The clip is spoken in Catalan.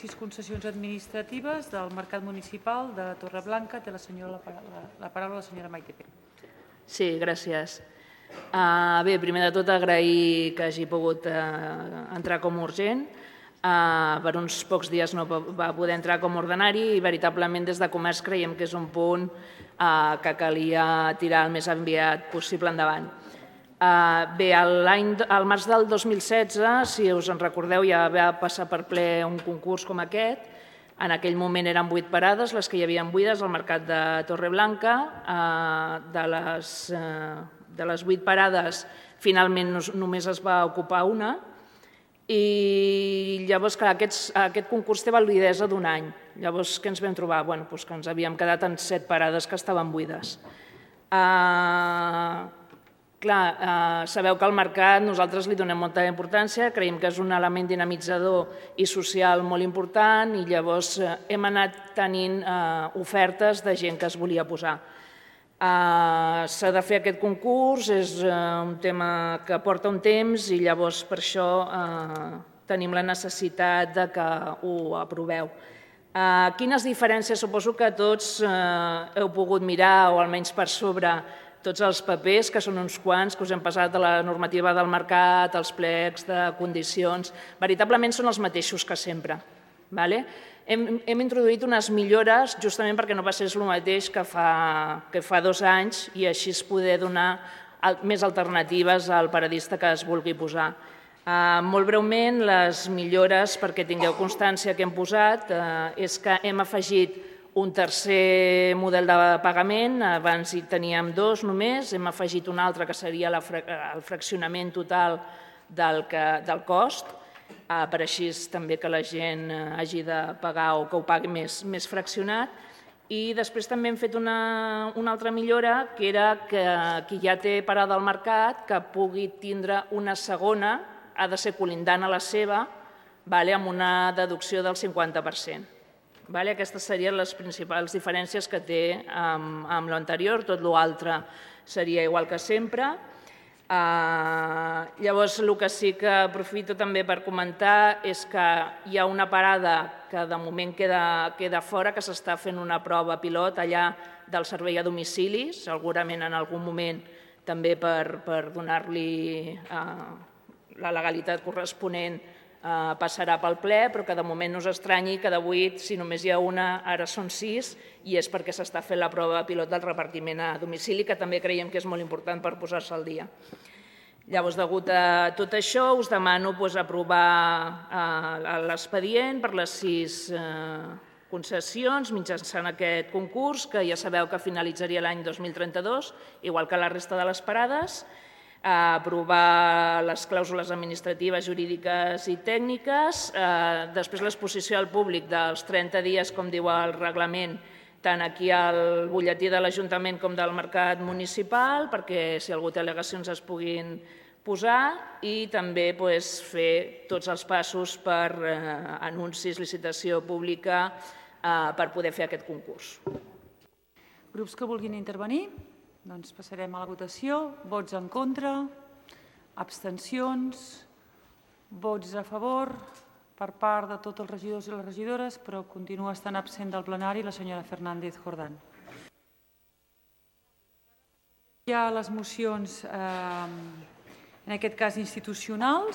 6 concessions administratives del Mercat Municipal de Torreblanca. Té la paraula la senyora Maite Pérez. Sí, gràcies. Bé, primer de tot agrair que hagi pogut entrar com urgent. Per uns pocs dies no va poder entrar com ordinari i veritablement des de Comerç creiem que és un punt que calia tirar el més aviat possible endavant. Bé, al març del 2016, si us en recordeu, ja va passar per ple un concurs com aquest. En aquell moment eren 8 parades, les que hi havia buides al Mercat de Torreblanca. De les 8 parades, finalment només es va ocupar una. I llavors, clar, aquest concurs té validesa d'un any. Llavors, què ens vam trobar? Bé, doncs que ens havíem quedat en 7 parades que estaven buides. Clar, sabeu que al mercat nosaltres li donem molta importància, creiem que és un element dinamitzador i social molt important i llavors hem anat tenint ofertes de gent que es volia posar. S'ha de fer aquest concurs, és un tema que porta un temps i llavors per això tenim la necessitat de que ho aproveu. Quines diferències? Suposo que tots heu pogut mirar, o almenys per sobre, tots els papers, que són uns quants, que us hem passat de la normativa del mercat, els plecs de condicions, veritablement són els mateixos que sempre. Hem introduït unes millores justament perquè no passés el mateix que fa 2 anys i així poder donar més alternatives al paradista que es vulgui posar. Molt breument, les millores, perquè tingueu constància que hem posat, és que hem afegit un tercer model de pagament, abans hi teníem 2 només, hem afegit un altre que seria el fraccionament total del cost, per així també que la gent hagi de pagar o que ho pagui més fraccionat. I després també hem fet una altra millora, que era que qui ja té parada al mercat, que pugui tindre una segona, ha de ser colindant a la seva, amb una deducció del 50%. Aquestes serien les principals diferències que té amb l'anterior, tot l'altre seria igual que sempre. Llavors, el que sí que aprofito també per comentar és que hi ha una parada que de moment queda fora, que s'està fent una prova pilot allà del servei a domicili, segurament en algun moment també per donar-li la legalitat corresponent passarà pel ple, però que de moment no us estranyi que de 8, si només hi ha una, ara són 6, i és perquè s'està fent la prova pilot del repartiment a domicili, que també creiem que és molt important per posar-se al dia. Llavors, degut a tot això, us demano aprovar l'expedient per les 6 concessions mitjançant aquest concurs, que ja sabeu que finalitzaria l'any 2032, igual que la resta de les parades, aprovar les clàusules administratives, jurídiques i tècniques, després l'exposició al públic dels 30 dies, com diu el reglament, tant aquí al butlletí de l'Ajuntament com del Mercat Municipal, perquè si algú té al·legacions es puguin posar, i també fer tots els passos per anuncis, licitació pública, per poder fer aquest concurs. Grups que vulguin intervenir? Doncs passarem a la votació. Vots en contra, abstencions, vots a favor per part de tots els regidors i les regidores, però continua estant absent del plenari la senyora Fernández Jordán. Hi ha les mocions, en aquest cas institucionals.